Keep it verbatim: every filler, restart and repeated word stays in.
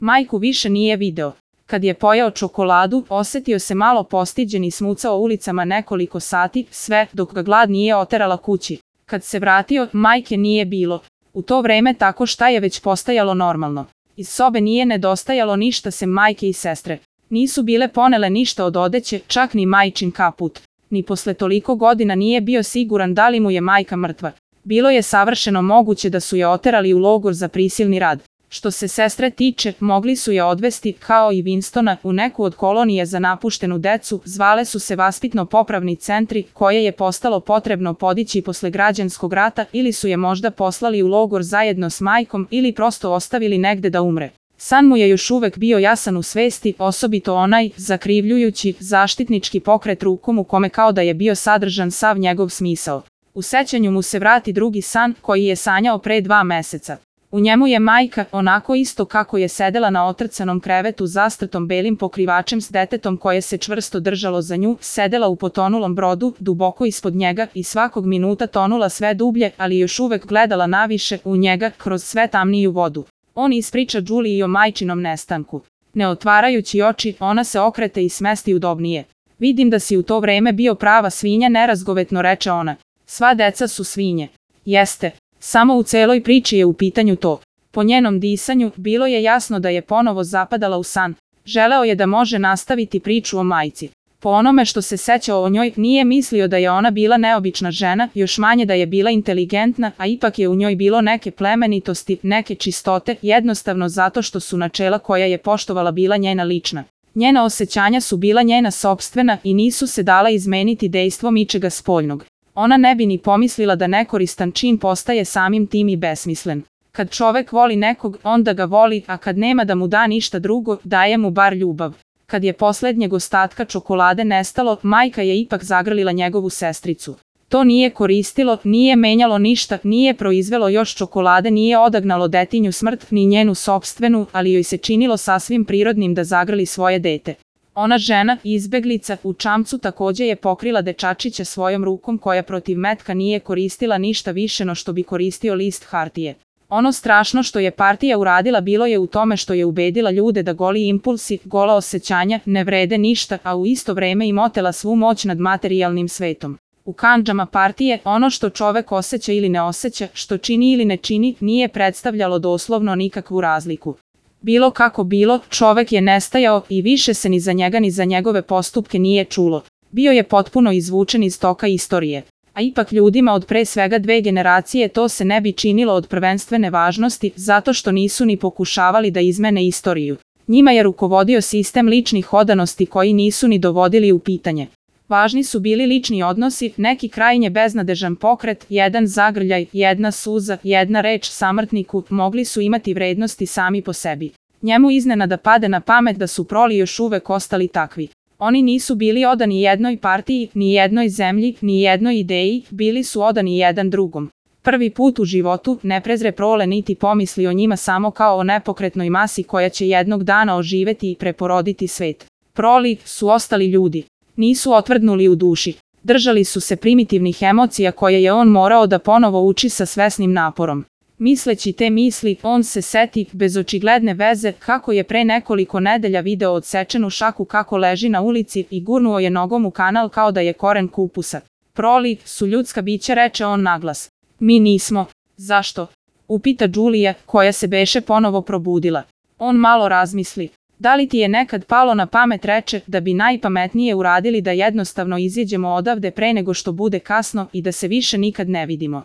Majku više nije video. Kad je pojeo čokoladu, osetio se malo postiđen i smucao ulicama nekoliko sati, sve dok ga glad nije oterala kući. Kad se vratio, majke nije bilo. U to vreme tako šta je već postajalo normalno. Iz sobe nije nedostajalo ništa sem majke i sestre. Nisu bile ponele ništa od odeće, čak ni majčin kaput. Ni posle toliko godina nije bio siguran da li mu je majka mrtva. Bilo je savršeno moguće da su je oterali u logor za prisilni rad. Što se sestre tiče, mogli su je odvesti, kao i Winstona, u neku od kolonije za napuštenu decu, zvale su se vaspitno-popravni centri, koje je postalo potrebno podići posle građanskog rata, ili su je možda poslali u logor zajedno s majkom ili prosto ostavili negde da umre. San mu je još uvek bio jasan u svesti, osobito onaj, zakrivljujući, zaštitnički pokret rukom u kome kao da je bio sadržan sav njegov smisao. U sećanju mu se vrati drugi san, koji je sanjao pre dva meseca. U njemu je majka, onako isto kako je sedela na otrcanom krevetu zastrtom belim pokrivačem s detetom koje se čvrsto držalo za nju, sedela u potonulom brodu, duboko ispod njega i svakog minuta tonula sve dublje, ali još uvek gledala naviše u njega kroz sve tamniju vodu. On ispriča Juliji o majčinom nestanku. Ne otvarajući oči, ona se okrete i smesti udobnije. Vidim da si u to vreme bio prava svinja, nerazgovetno reče ona. Sva deca su svinje. Jeste. Samo u celoj priči je u pitanju to. Po njenom disanju, bilo je jasno da je ponovo zapadala u san. Želeo je da može nastaviti priču o majci. Po onome što se sećao o njoj, nije mislio da je ona bila neobična žena, još manje da je bila inteligentna, a ipak je u njoj bilo neke plemenitosti, neke čistote, jednostavno zato što su načela koja je poštovala bila njena lična. Njena osjećanja su bila njena sopstvena i nisu se dala izmeniti dejstvom ičega spoljnog. Ona ne bi ni pomislila da nekoristan čin postaje samim tim i besmislen. Kad čovek voli nekog, onda ga voli, a kad nema da mu da ništa drugo, daje mu bar ljubav. Kad je poslednjeg ostatka čokolade nestalo, majka je ipak zagrlila njegovu sestricu. To nije koristilo, nije menjalo ništa, nije proizvelo još čokolade, nije odagnalo detinju smrt, ni njenu sopstvenu, ali joj se činilo sasvim prirodnim da zagrli svoje dete. Ona žena, izbeglica, u čamcu takođe je pokrila dečačića svojom rukom koja protiv metka nije koristila ništa više no što bi koristio list hartije. Ono strašno što je partija uradila bilo je u tome što je ubedila ljude da goli impulsi, gola osjećanja, ne vrede ništa, a u isto vreme im otela svu moć nad materijalnim svetom. U kandžama partije, ono što čovek osjeća ili ne osjeća, što čini ili ne čini, nije predstavljalo doslovno nikakvu razliku. Bilo kako bilo, čovek je nestajao i više se ni za njega ni za njegove postupke nije čulo. Bio je potpuno izvučen iz toka istorije. A ipak ljudima od pre svega dve generacije to se ne bi činilo od prvenstvene važnosti, zato što nisu ni pokušavali da izmene istoriju. Njima je rukovodio sistem ličnih odanosti koji nisu ni dovodili u pitanje. Važni su bili lični odnosi, neki krajnje beznadežan pokret, jedan zagrljaj, jedna suza, jedna reč samrtniku, mogli su imati vrednosti sami po sebi. Njemu iznenada pade na pamet da su proli još uvek ostali takvi. Oni nisu bili odani jednoj partiji, ni jednoj zemlji, ni jednoj ideji, bili su odani jedan drugom. Prvi put u životu ne prezre prole niti pomisli o njima samo kao o nepokretnoj masi koja će jednog dana oživeti i preporoditi svet. Proli su ostali ljudi. Nisu otvrdnuli u duši. Držali su se primitivnih emocija koje je on morao da ponovo uči sa svesnim naporom. Misleći te misli, on se seti, bez očigledne veze, kako je pre nekoliko nedelja video odsečenu šaku kako leži na ulici i gurnuo je nogom u kanal kao da je koren kupusa. Proli su ljudska bića, reče on naglas. Mi nismo. Zašto? Upita Julija, koja se beše ponovo probudila. On malo razmisli. Da li ti je nekad palo na pamet, reče, da bi najpametnije uradili da jednostavno iziđemo odavde pre nego što bude kasno i da se više nikad ne vidimo?